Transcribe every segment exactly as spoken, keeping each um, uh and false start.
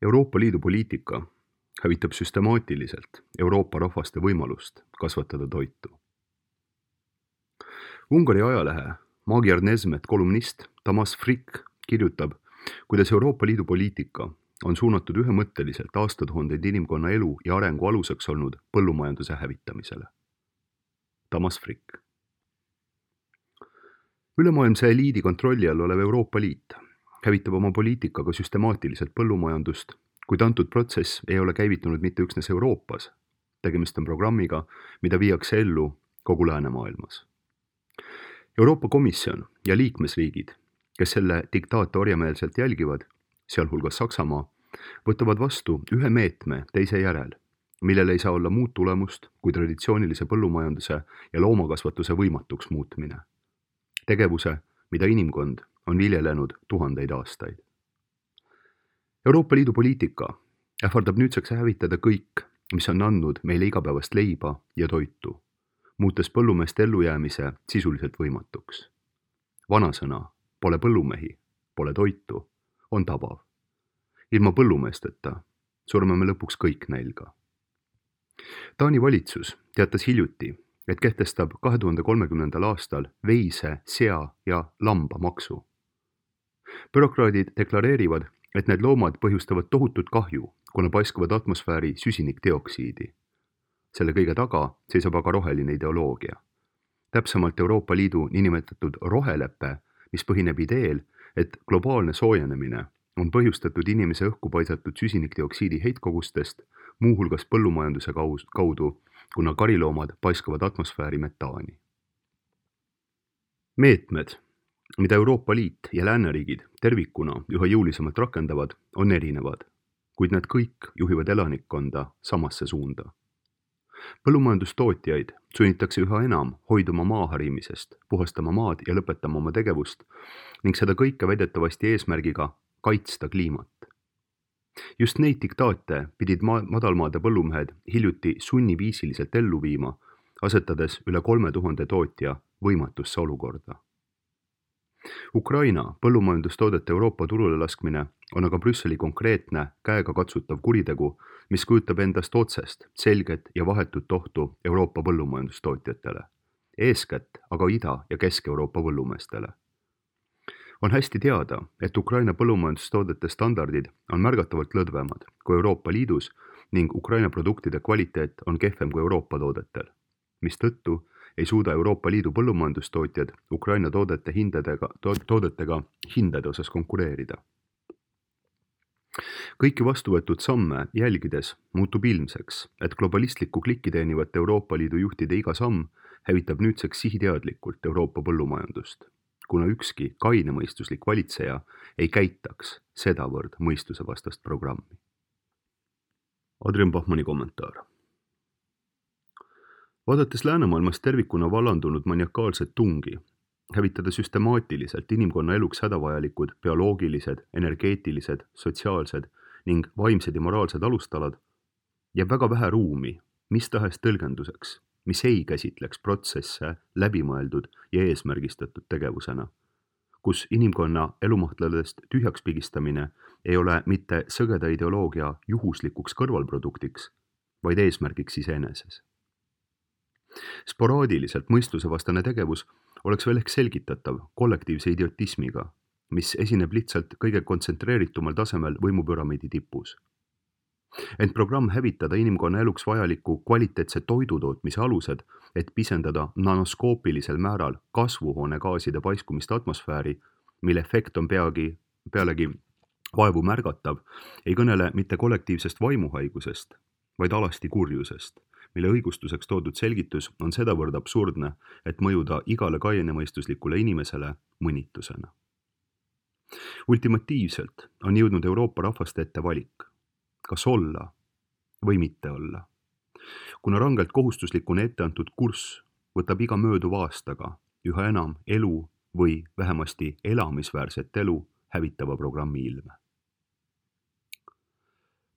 Euroopa Liidu poliitika hävitab süstemaatiliselt Euroopa rahvaste võimalust kasvatada toitu. Ungari ajalehe Magyar Nezmet kolumnist Tamás Frick kirjutab, kuidas Euroopa Liidu poliitika on suunatud ühemõtteliselt aastatuhandeid inimkonna elu ja arengu aluseks olnud põllumajanduse hävitamisele. Tamás Frick. Ülemaailmse eliidi kontrolli all olev Euroopa Liit hävitab oma poliitikaga süstemaatiliselt põllumajandust, kuid antud protsess ei ole käivitunud mitte üksnes Euroopas. Tegemist on programmiga, mida viiakse ellu kogu läänemaailmas. Euroopa Komisjon ja liikmesriigid, kes selle diktaate orjameelselt jälgivad, sealhulgas Saksamaa, võtavad vastu ühe meetme teise järel, millel ei saa olla muud tulemust kui traditsioonilise põllumajanduse ja loomakasvatuse võimatuks muutmine. Tegevuse, mida inimkond on viljelenud tuhandeid aastaid. Euroopa Liidu poliitika ähvardab nüüdseks hävitada kõik, mis on andnud meile igapäevast leiba ja toitu, muutes põllumeeste ellujäämise sisuliselt võimatuks. Vanasõna, pole põllumehi, pole toitu, on tabav. Ilma põllumeesteta surme me lõpuks kõik nälga. Taani valitsus teatas hiljuti, et kehtestab kahe tuhande kolmekümnendal aastal veise, sea ja lamba maksu. Bürokraadid deklareerivad, et need loomad põhjustavad tohutut kahju, kuna paiskavad atmosfääri süsinikdioksiidi. Selle kõige taga seisab aga roheline ideoloogia. Täpsemalt Euroopa Liidu niinimetatud roheleppe, mis põhineb ideel, et globaalne soojenemine on põhjustatud inimese õhku paisatud süsinikdioksiidi heitkogustest, muuhulgas põllumajanduse kaudu, kuna kariloomad paiskavad atmosfääri metaani. Meetmed, mida Euroopa Liit ja lääneriigid tervikuna üha jõulisemalt rakendavad, on erinevad, kuid nad kõik juhivad elanikkonda samasse suunda. Põllumajandustootjaid sunnitakse üha enam hoiduma maaharimisest, puhastama maad ja lõpetama oma tegevust ning seda kõike väidetavasti eesmärgiga kaitsta kliimat. Just neid diktaate pidid ma- madalmaade põllumehed hiljuti sunniviisiliselt ellu viima, asetades üle kolme tuhande tootja võimatusse olukorda. Ukraina põllumajandustoodete Euroopa turule laskmine on aga Brüsseli konkreetne, käega katsutav kuritegu, mis kujutab endast otsest, selget ja vahetut ohtu Euroopa põllumajandustootjatele, eeskätt aga Ida- ja Kesk-Euroopa põllumeestele. On hästi teada, et Ukraina põllumajandustoodete standardid on märgatavalt lõdvemad kui Euroopa Liidus ning Ukraina produktide kvaliteet on kehvem kui Euroopa toodetel, mistõttu ei suuda Euroopa Liidu põllumajandustootjad Ukraina toodete hindadega, to- toodetega hindade osas konkureerida. Kõiki vastuvõetud samme jälgides muutub ilmseks, et globalistlikku klikki teenivat Euroopa Liidu juhtide iga samm hävitab nüüdseks sihiteadlikult Euroopa põllumajandust, kuna ükski kainemõistuslik valitseja ei käitaks sedavõrd mõistuse vastast programmi. Adrian Bachmanni kommentaar. Vaadates läänemaailmas tervikuna vallandunud maniakaalset tungi, hävitada süstemaatiliselt inimkonna eluks hädavajalikud bioloogilised, energeetilised, sotsiaalsed ning vaimsed ja moraalsed alustalad, jääb väga vähe ruumi mis tahes tõlgenduseks, mis ei käsitleks protsesse läbimõeldud ja eesmärgistatud tegevusena, kus inimkonna elumahtladest tühjaks pigistamine ei ole mitte sõgeda ideoloogia juhuslikuks kõrvalproduktiks, vaid eesmärgiks iseeneses. Sporaadiliselt mõistusevastane tegevus oleks veel ehk selgitatav kollektiivse idiotismiga, mis esineb lihtsalt kõige kontsentreeritumal tasemel võimupüramiidi tipus. Ent programm hävitada inimkonna eluks vajaliku kvaliteetse toidutootmise alused, et pisendada nanoskoopilisel määral kasvuhoonegaaside paiskumist atmosfääri, mille efekt on peagi, pealegi vaevu märgatav, ei kõnele mitte kollektiivsest vaimuhaigusest, vaid alasti kurjusest, mille õigustuseks toodud selgitus on sedavõrd absurdne, et mõjuda igale kainemõistuslikule inimesele mõnitusena. Ultimatiivselt on jõudnud Euroopa rahvaste ette valik, kas olla või mitte olla. Kuna rangelt kohustuslikuna ette antud kurss võtab iga mööduva aastaga üha enam elu või vähemasti elamisväärset elu hävitava programmi ilme.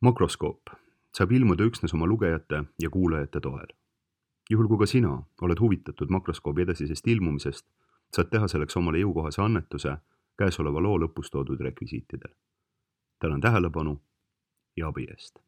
Makroskoop saab ilmuda üksnes oma lugejate ja kuulajate toel. Juhul kui ka sina oled huvitatud makroskoobi edasisest ilmumisest, saad teha selleks omale jõukohase annetuse käesoleva loo lõpus toodud rekvisiitidel. Tänan tähelepanu ja abi eest!